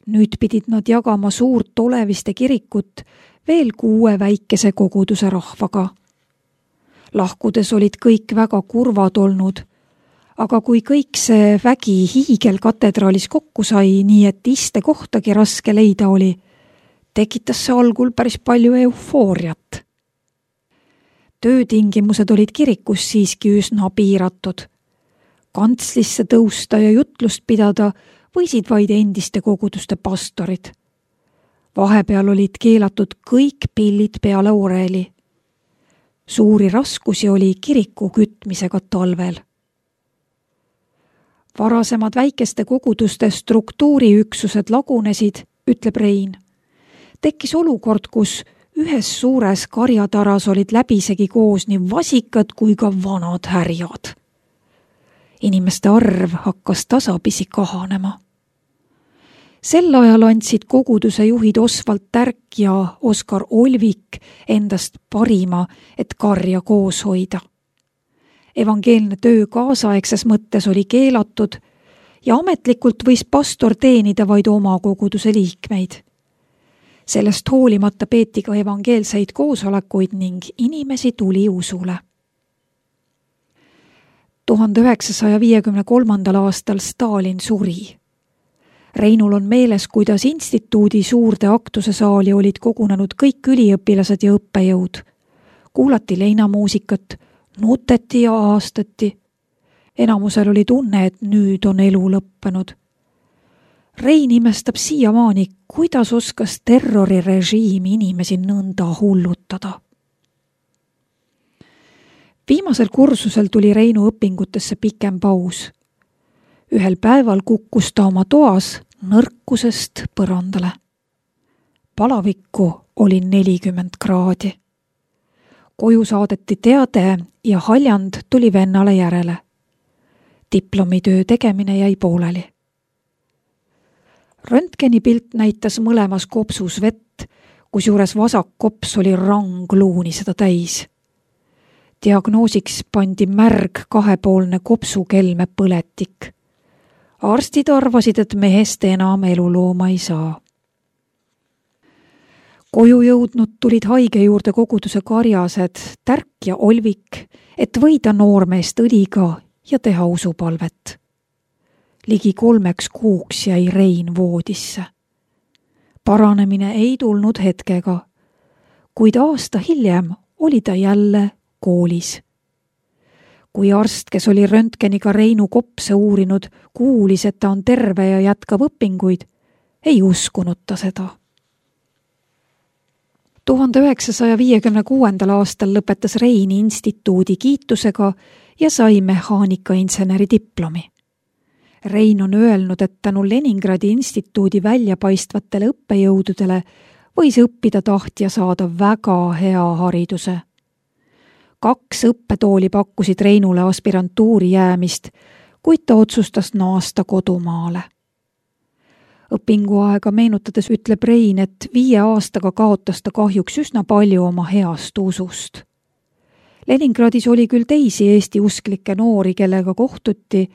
Nüüd pidid nad jagama suurt Oleviste kirikut veel 6 väikese koguduse rahvaga. Lahkudes olid kõik väga kurvad olnud, aga kui kõik see vägi hiigelkatedraalis kokku sai, nii et istekohtagi raske leida oli, tekitas see algul päris palju eufooriat. Töötingimused olid kirikus siiski üsna piiratud. Kantslisse tõusta ja jutlust pidada võisid vaid endiste koguduste pastorid. Vahepeal olid keelatud kõik pillid peale oreli. Suuri raskusi oli kiriku kütmisega talvel. Varasemad väikeste koguduste struktuuriüksused lagunesid, ütleb Rein. Tekkis olukord, kus ühes suures karjataras olid läbisegi koos nii vasikad kui ka vanad härjad. Inimeste arv hakkas tasapisi kahanema. Sel ajal andsid koguduse juhid Osvald Tärk ja Oskar Olvik endast parima, et karja koos hoida. Evangeelne töö kaasaegses mõttes oli keelatud ja ametlikult võis pastor teenida vaid oma koguduse liikmeid. Sellest hoolimata peeti ka evangeelseid koosolekuid ning inimesi tuli usule. 1953. aastal Stalin suri. Reinul on meeles, kuidas instituudi suurde aktuse saali olid kogunenud kõik üliõpilased ja õppejõud. Kuulati leinamuusikat, nuteti ja aastati. Enamusel oli tunne, et nüüd on elu lõppenud. Rein imestab siiamaani, kuidas oskas terrorirežiim inimesi nõnda hullutada. Viimasel kursusel tuli Reinu õpingutesse pikem paus. Ühel päeval kukkus ta oma toas nõrkusest põrandale. Palavikku oli 40 kraadi. Koju saadeti teade ja haljand tuli vennale järele. Diplomitöö tegemine jäi pooleli. Röntgenipilt näitas mõlemas kopsus vett, kusjuures vasak kops oli rangluuni seda täis. Diagnoosiks pandi märg 2-poolne kopsukelme põletik. Arstid arvasid, et mehest enam elulooma ei saa. Koju jõudnud tulid haige juurde koguduse karjased Tärk ja Olvik, et võida noormeest õliga ja teha usupalvet. Ligi 3 kuuks jäi Rein voodisse. Paranemine ei tulnud hetkega, kuid aasta hiljem oli ta jälle koolis. Kui arst, kes oli röntgeniga Reinu kopse uurinud, kuulis, et ta on terve ja jätkab õpinguid, ei uskunud ta seda. 1956. aastal lõpetas Rein instituudi kiitusega ja sai mehaanikainseneri diplomi. Rein on öelnud, et tänu Leningradi instituudi väljapaistvatele õppejõududele võis õppida tahtja saada väga hea hariduse. 2 õppetooli pakkusid Reinule aspirantuuri jäämist, kuid ta otsustas naasta kodumaale. Õpinguaega meenutades ütleb Rein, et 5 aastaga kaotas ta kahjuks üsna palju oma heast usust. Leningradis oli küll teisi Eesti usklikke noori, kellega kohtuti,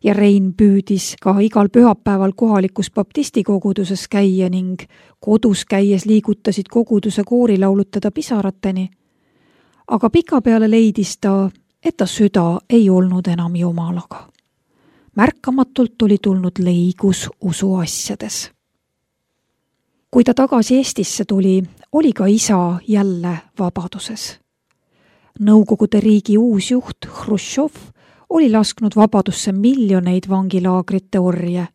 ja Rein püüdis ka igal pühapäeval kohalikus baptistikoguduses käia ning kodus käies liigutasid koguduse koorilaulud teda pisarateni. Aga pikapeale leidis ta, et ta süda ei olnud enam Jumalaga. Märkamatult oli tulnud leigus usuasjades. Kui ta tagasi Eestisse tuli, oli ka isa jälle vabaduses. Nõukogude riigi uus juht Hruštšov oli lasknud vabadusse miljoneid vangilaagrite orje.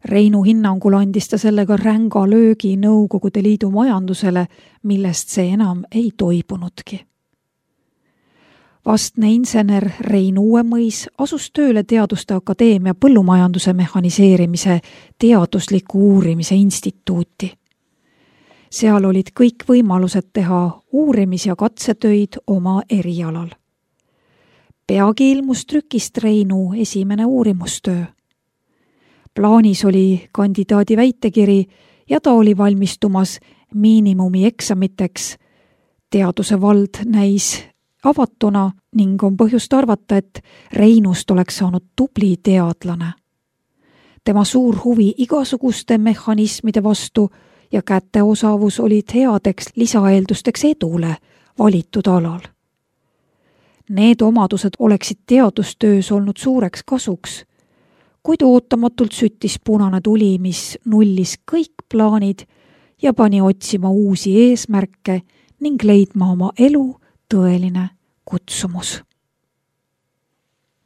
Reinu hinnangul andis ta sellega ränga löögi Nõukogude Liidu majandusele, millest see enam ei toibunudki. Vastne insener Rein Uuemõis asus tööle Teaduste Akadeemia põllumajanduse mehhaniseerimise teadusliku uurimise instituuti. Seal olid kõik võimalused teha uurimis- ja katsetöid oma erialal. Peagi ilmus trükist Reinu esimene uurimustöö. Plaanis oli kandidaadi väitekiri ja ta oli valmistumas miinimumi eksamiteks. Teaduse vald näis avatuna ning on põhjust arvata, et Reinust oleks saanud tubli teadlane. Tema suur huvi igasuguste mehhanismide vastu ja käteosavus olid headeks lisaeeldusteks edule valitud alal. Need omadused oleksid teadustöös olnud suureks kasuks, kuid ootamatult süttis punane tuli, mis nullis kõik plaanid ja pani otsima uusi eesmärke ning leidma oma elu tõeline kutsumus.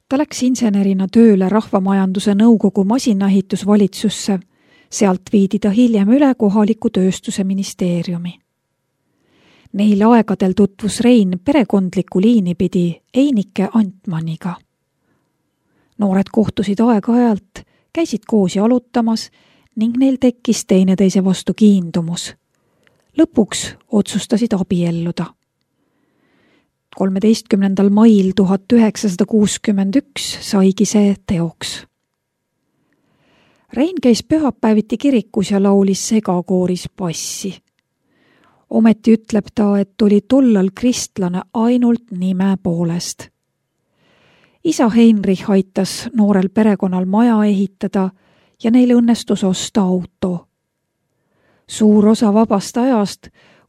Ta läks insenerina tööle Rahvamajanduse Nõukogu masinaehitusvalitsusse, sealt viidi ta hiljem üle kohaliku tööstuse ministeeriumi. Neil aegadel tutvus Rein perekondliku liini pidi Einike Antmaniga. Noored kohtusid aeg-ajalt, käisid koos jalutamas ning neil tekkis teineteise vastu kiindumus. Lõpuks otsustasid abielluda. 13. mail 1961 saigi see teoks. Rein käis pühapäeviti kirikus ja laulis segakooris bassi. Ometi ütleb ta, et oli tollal kristlane ainult nime poolest. Isa Heinrich aitas noorel perekonnal maja ehitada ja neil õnnestus osta auto. Suur osa vabast ajast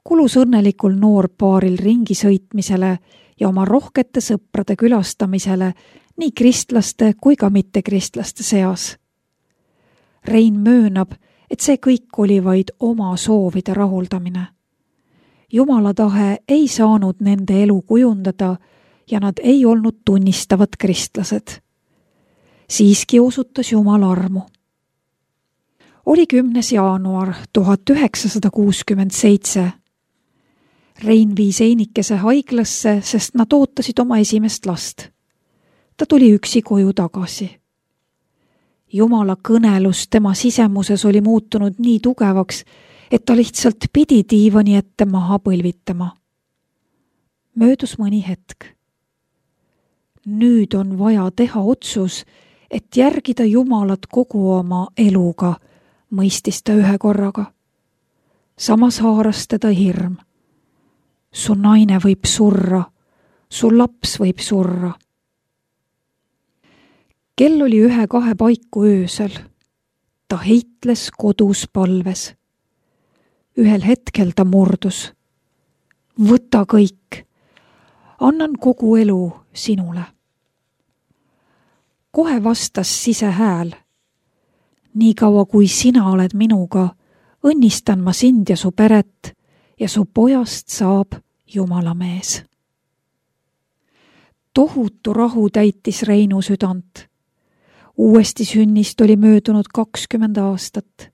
kulus õnnelikul noorpaaril ringisõitmisele ja oma rohkete sõprade külastamisele nii kristlaste kui ka mittekristlaste seas. Rein möönab, et see kõik oli vaid oma soovide rahuldamine. Jumala tahe ei saanud nende elu kujundada ja nad ei olnud tunnistavad kristlased. Siiski osutas Jumal armu. Oli 10. jaanuar 1967. Rein viis Einikese haiglasse, sest nad ootasid oma esimest last. Ta tuli üksi koju tagasi. Jumala kõnelus tema sisemuses oli muutunud nii tugevaks, et ta lihtsalt pidi diivani ette maha põlvitama. Möödus mõni hetk. Nüüd on vaja teha otsus, et järgida Jumalat kogu oma eluga, mõistis ta ühe korraga. Samas haaras teda hirm. Su naine võib surra, su laps võib surra. Kell oli 1-2 paiku öösel. Ta heitles kodus palves. Ühel hetkel ta murdus. Võta kõik. Annan kogu elu sinule. Kohe vastas sisehääl. Nii kaua kui sina oled minuga, õnnistan ma sind ja su peret ja su pojast saab Jumala mees. Tohutu rahu täitis Reinu südant. Uuesti sünnist oli möödunud 20 aastat.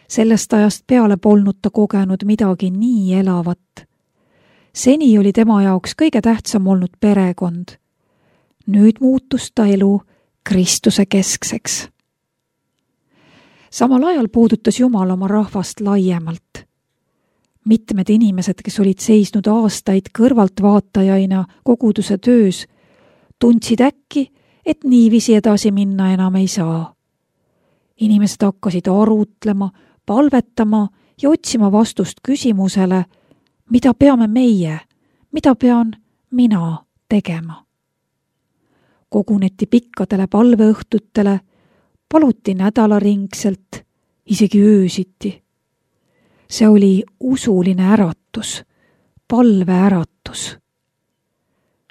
Sellest ajast peale polnud ta kogenud midagi nii elavat. Seni oli tema jaoks kõige tähtsam olnud perekond. Nüüd muutus ta elu Kristuse keskseks. Samal ajal puudutas Jumal oma rahvast laiemalt. Mitmed inimesed, kes olid seisnud aastaid kõrvaltvaatajaina koguduse töös, tundsid äkki, et niiviisi edasi minna enam ei saa. Inimesed hakkasid arutlema, palvetama ja otsima vastust küsimusele, mida peame meie, mida pean mina tegema. Koguneti pikkadele palveõhtutele, paluti nädalaringselt, isegi öösiti. See oli usuline äratus, palveäratus.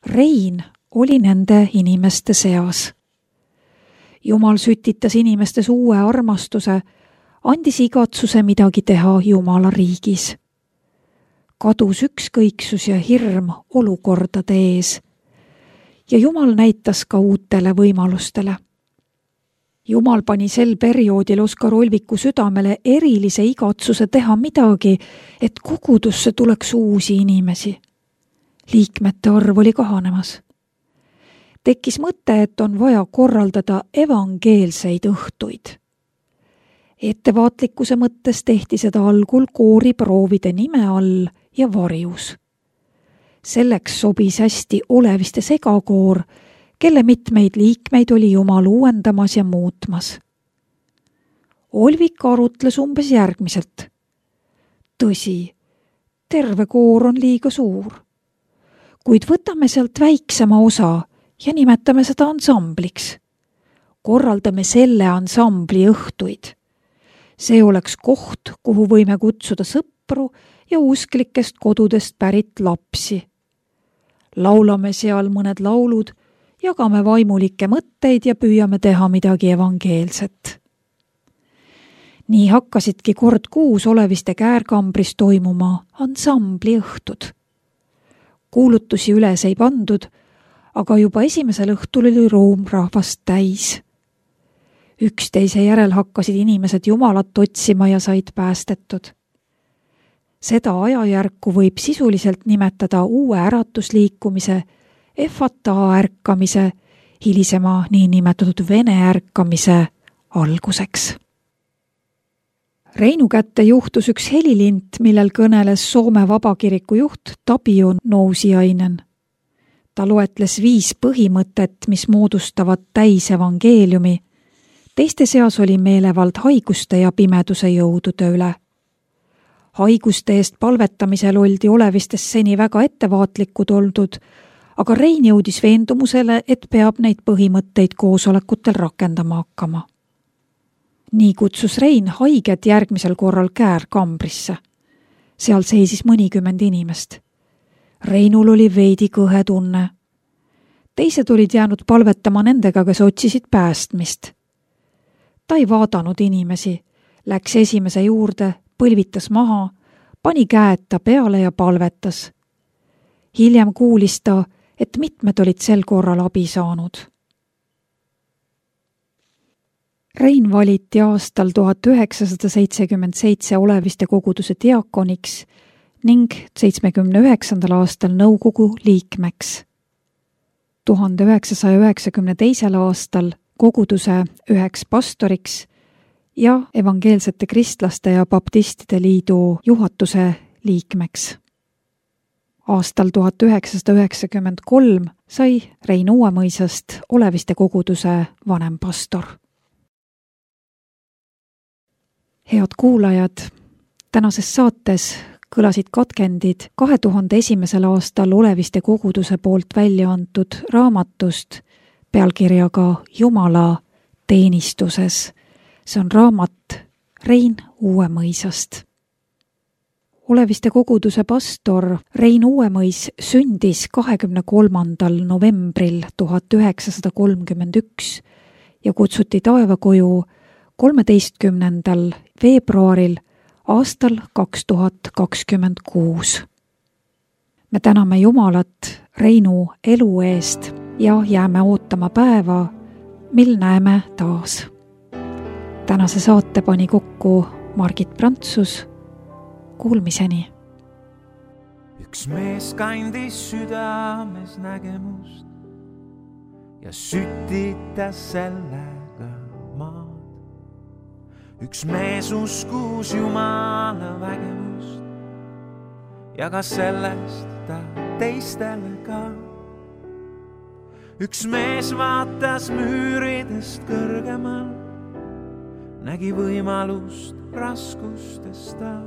Rein oli nende inimeste seas. Jumal sütitas inimestes uue armastuse, andis igatsuse midagi teha Jumala riigis. Kadus ükskõiksus ja hirm olukordade ees ja Jumal näitas ka uutele võimalustele. Jumal pani sel perioodil Oskar Olviku südamele erilise igatsuse teha midagi, et kogudusse tuleks uusi inimesi. Liikmete arv oli kahanemas. Tekkis mõte, et on vaja korraldada evangeelseid õhtuid. Ettevaatlikkuse mõttes tehti seda algul kooriproovide nime all ja varjus. Selleks sobis hästi Oleviste segakoor, kelle mitmeid liikmeid oli Jumal uuendamas ja muutmas. Olvik arutles umbes järgmiselt. Tõsi, terve koor on liiga suur, kuid võtame sealt väiksema osa ja nimetame seda ansambliks. Korraldame selle ansambli õhtuid. See oleks koht, kuhu võime kutsuda sõpru ja usklikest kodudest pärit lapsi. Laulame seal mõned laulud, jagame vaimulikke mõtteid ja püüame teha midagi evangeelset. Nii hakkasidki kord kuus Oleviste käärkambris toimuma ansambli õhtud. Kuulutusi üles ei pandud, aga juba esimesel õhtul oli ruum rahvast täis. Üksteise järel hakkasid inimesed Jumalat otsima ja said päästetud. Seda ajajärku võib sisuliselt nimetada uue äratusliikumise, Efata ärkamise, hilisema niinimetatud Vene ärkamise alguseks. Reinu kätte juhtus üks helilint, millel kõneles Soome Vabakiriku juht Tapio Nousiainen. Ta loetles 5 põhimõtet, mis moodustavad täisevangeeliumi. Teiste seas oli meelevald haiguste ja pimeduse jõudude üle. Haiguste eest palvetamisel oldi Olevistes seni väga ettevaatlikud oldud, aga Rein jõudis veendumusele, et peab neid põhimõtteid koosolekutel rakendama hakkama. Nii kutsus Rein haiged järgmisel korral käärkambrisse. Seal seisis mõnikümmend inimest. Reinul oli veidi kõhe tunne. Teised olid jäänud palvetama nendega, kes otsisid päästmist. Ta ei vaadanud inimesi, läks esimese juurde, põlvitas maha, pani käed ta peale ja palvetas. Hiljem kuulis ta, et mitmed olid sel korral abi saanud. Rein valiti aastal 1977 Oleviste koguduse diakoniks ning 79. aastal nõukogu liikmeks. 1992. aastal koguduse üheks pastoriks ja evangeelsete kristlaste ja baptistide liidu juhatuse liikmeks. Aastal 1993 sai Rein Uuemõisast Oleviste koguduse vanempastor. Head kuulajad, tänases saates kõlasid katkendid 2001. aastal Oleviste koguduse poolt välja antud raamatust pealkirjaga Jumala teenistuses. See on raamat Rein Uuemõisast. Oleviste koguduse pastor Rein Uuemõis sündis 23. novembril 1931 ja kutsuti taevakoju 13. veebruaril aastal 2026. me täname Jumalat Reinu elu eest ja jääme ootama päeva, mil näeme taas. Tänase saate pani kokku Margit Prantsus. Kuulmiseni. Üks mees kandis südames nägemust ja sütitas sellega maad. Üks mees uskus Jumala vägevust ja ka sellest ta teistele ka. Üks mees vaatas müüridest kõrgemal, nägi võimalust raskustest ta.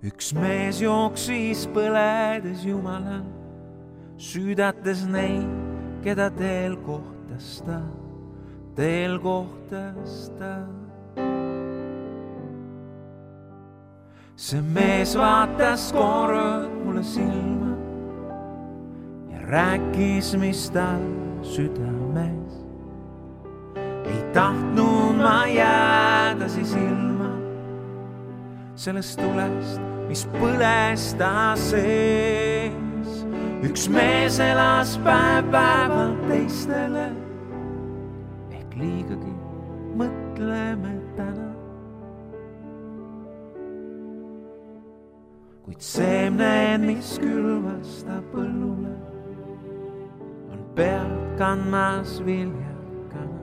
Üks mees jooksis põledes Jumalal, süüdates neid, keda teel kohtas ta. See mees vaatas kord mulle silma ja rääkis, mis tal südames. Ei tahtnud ma jääda siis ilma sellest tulest, mis põles ta sees. Üks mees elas päev-päevalt teistele, ehk liigagi mõtleme täna. Kuid seemned, mis külvas ta põllule, on pealt kandmas viljakana.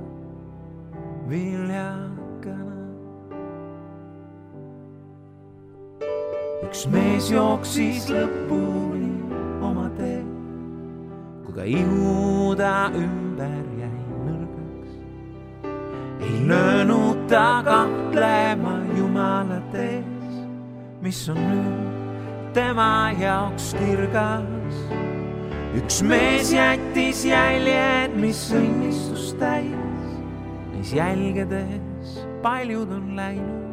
Üks mees jooksis lõpuni oma tee, kui ka ihu ta ümber jäi nõrgaks. Ei löönud ta kahtlema Jumala tees, mis on nüüd tema jaoks kirgas. Üks mees jättis jäljed, mis õnnistust täis, neis jälgedes paljud on läinud.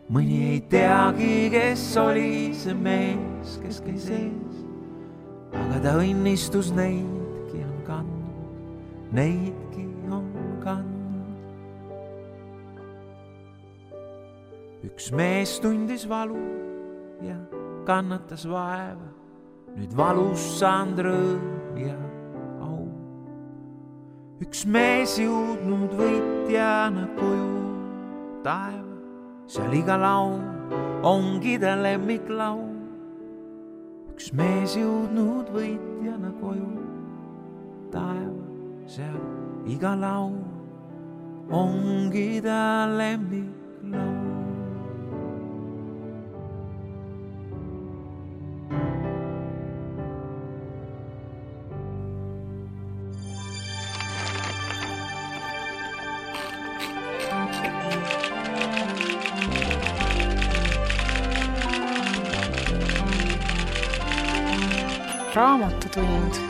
Mõni ei teagi, kes oli see mees, kes käis ees, aga ta õnnistus neidki on kandnud. Üks mees tundis valu ja kannatas vaeva, nüüd valus saanud rõõm ja au. Üks mees jõudnud võitjana koju taeva, seal iga laul ongi ta lemmiklau. Üks mees jõudnud võitjana koju taeva, seal iga laul ongi ta lemmiklau. Raamatutund.